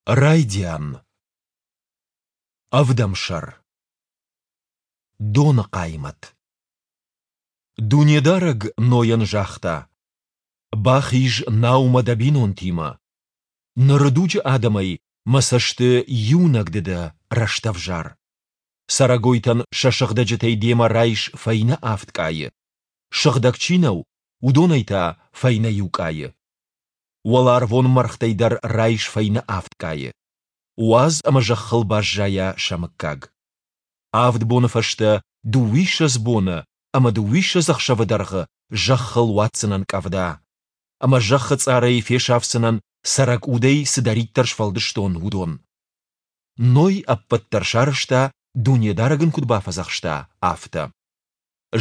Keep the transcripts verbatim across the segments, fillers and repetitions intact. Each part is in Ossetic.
Райдиан. Ӕвдӕм сӕр. Доны хъаймӕт. Дунедарӕг Нойӕн загъта: Бахиз наумӕ дӕ бинонтимӕ. Ныры дуджы адӕмӕй Мӕ цӕсты иунӕг ды дӕ рӕстӕвзар. Цӕрӕгойтӕн сӕ сыгъдӕджытӕй демӕ райс фӕйнӕ авд къайы, сыгъдӕг чи нӕу, уыдонӕй та фӕйнӕ иу къайы. Уӕларвон мӕргътӕй дӕр райс фӕйнӕ авд къайы. Уадз ӕмӕ зӕххыл баззайа сӕ мыггаг. Авд боны фӕстӕ дыууиссӕдз боны ӕмӕ дыууиссӕдз ӕхсӕвы дӕргъы зӕххыл уадздзынӕн къӕвда. Ӕмӕ зӕххы цъарӕй фесафдзынӕн, цӕрӕг удӕй цыдӕриддӕр сфӕлдыстон, уыдон. Ной ӕппӕт дӕр сарӕзта, Дунедарӕг ын куыд бафӕдзӕхста, афтӕ.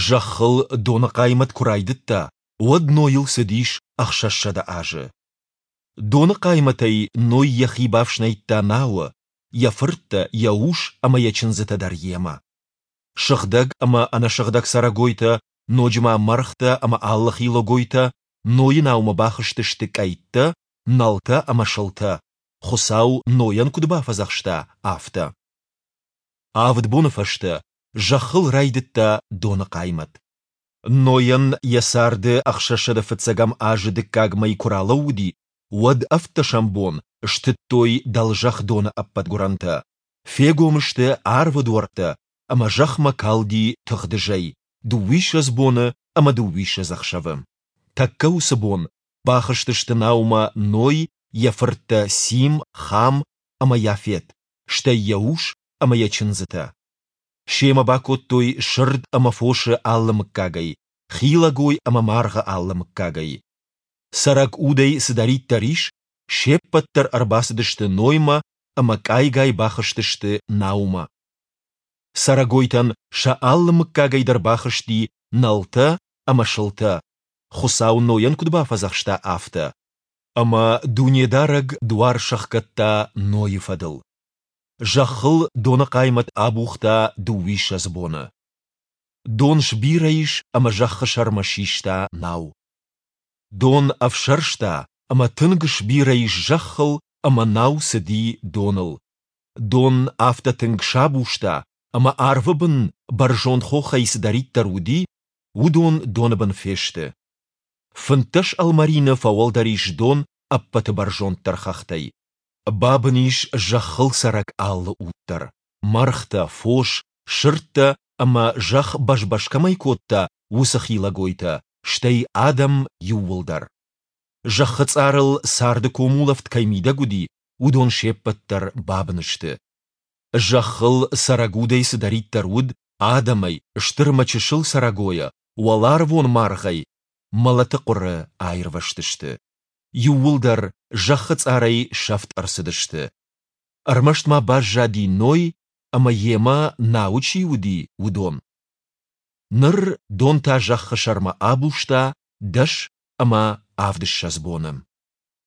Зӕххыл доны хъаймӕт куы райдыдта, уӕд Нойыл цыдис ӕхсӕзсӕдӕ азы. Доны хъаймӕтӕй Ной йӕхи бафснайдта науы, йӕ фырттӕ, йӕ ус ӕмӕ йӕ чындзытӕ дӕр йемӕ. Сыгъдӕг ӕмӕ ӕнӕсыгъдӕг цӕрӕгойтӕ, ноджы ма мӕргътӕ ӕмӕ алы хилӕгойтӕ Нойы наумӕ бахызтысты къӕйттӕ, нӕлтӕ ӕмӕ сылтӕ, Хуыцау Нойӕн куыд бафӕдзӕхста, афтӕ. Авд боны фӕстӕ зӕххыл райдыдта доны хъаймӕт. Нойӕн йӕ царды ӕхсӕзсӕдӕ фыццӕгӕм азы дыккаг мӕй куы ралӕууыди, уӕд ӕвддӕсӕм бон стыдтой дӕлзӕхх доны ӕппӕт гуырӕнтӕ, фегом сты арвы дуӕрттӕ ӕмӕ зӕхмӕ калди тыгъдызӕй дыууиссӕдз боны ӕмӕ дыууиссӕдз ӕхсӕвы. Тӕккӕ уыцы бон бахызтысты наумӕ Ной, йӕ фырттӕ Сим, Хам ӕмӕ Йафет, стӕй йӕ ус ӕмӕ йӕ чындзытӕ. Семӕ бакодтой сырд ӕмӕ фосы алы мыггагӕй, хилӕгой ӕмӕ маргъы алы мыггагӕй. Цӕрӕг удӕй цыдӕриддӕр ис, се ппӕт дӕр ӕрбацыдысты Ноймӕ ӕмӕ къайгай бахызтысты наумӕ. Цӕрӕгойтӕн сӕ алы мыггагӕй дӕр бахызти нӕлтӕ ӕмӕ сылтӕ, Хуыцау Нойӕн куыд бафӕдзӕхста, афтӕ. Ӕмӕ Дунедарӕг дуар сӕхгӕдта Нойы фӕдыл. Зӕххыл доны хъаймӕт абухта дыууиссӕдз боны. Дон сбирӕ ис ӕмӕ зӕххы сӕрмӕ систа нау. Дон ӕфсӕрста ӕмӕ тынг сбирӕ ис зӕххыл ӕмӕ нау цыди доныл. Дон афтӕ тынг сабузта, ӕмӕ арвы бын бӕрзонд хохӕй цыдӕриддӕр уыди, уыдон доны бын фесты. Фынддӕс ӕлмӕрины фӕуӕлдӕр ис дон ӕппӕты бӕрзонддӕр хӕхтӕй. Бабын ис зӕххыл цӕрӕг алы уд дӕр, мӕргътӕ, фос, сырдтӕ ӕмӕ, зӕхх бӕз-бӕз кӕмӕй кодта, уыцы хилӕгойтӕ, стӕй адӕм иууылдӕр. Зӕххы цъарыл царды комулӕфт кӕй мидӕг уыди, уыдон се ппӕт дӕр бабын сты. Зӕххыл цӕрӕг удӕй цыдӕриддӕр уыд, адӕмӕй, стыр ӕмӕ чысыл цӕрӕгойӕ, уӕларвон маргъӕй, мӕлӕты хъуыры аирвӕзтысты. Иууылдӕр зӕххы цъарӕй сӕфт ӕрцыдысты. Ӕрмӕст ма баззади Ной ӕмӕ йемӕ науы чи уыди, уыдон. Ныр дон та зӕххы сӕрмӕ абузта дӕс ӕмӕ авдыссӕдз боны.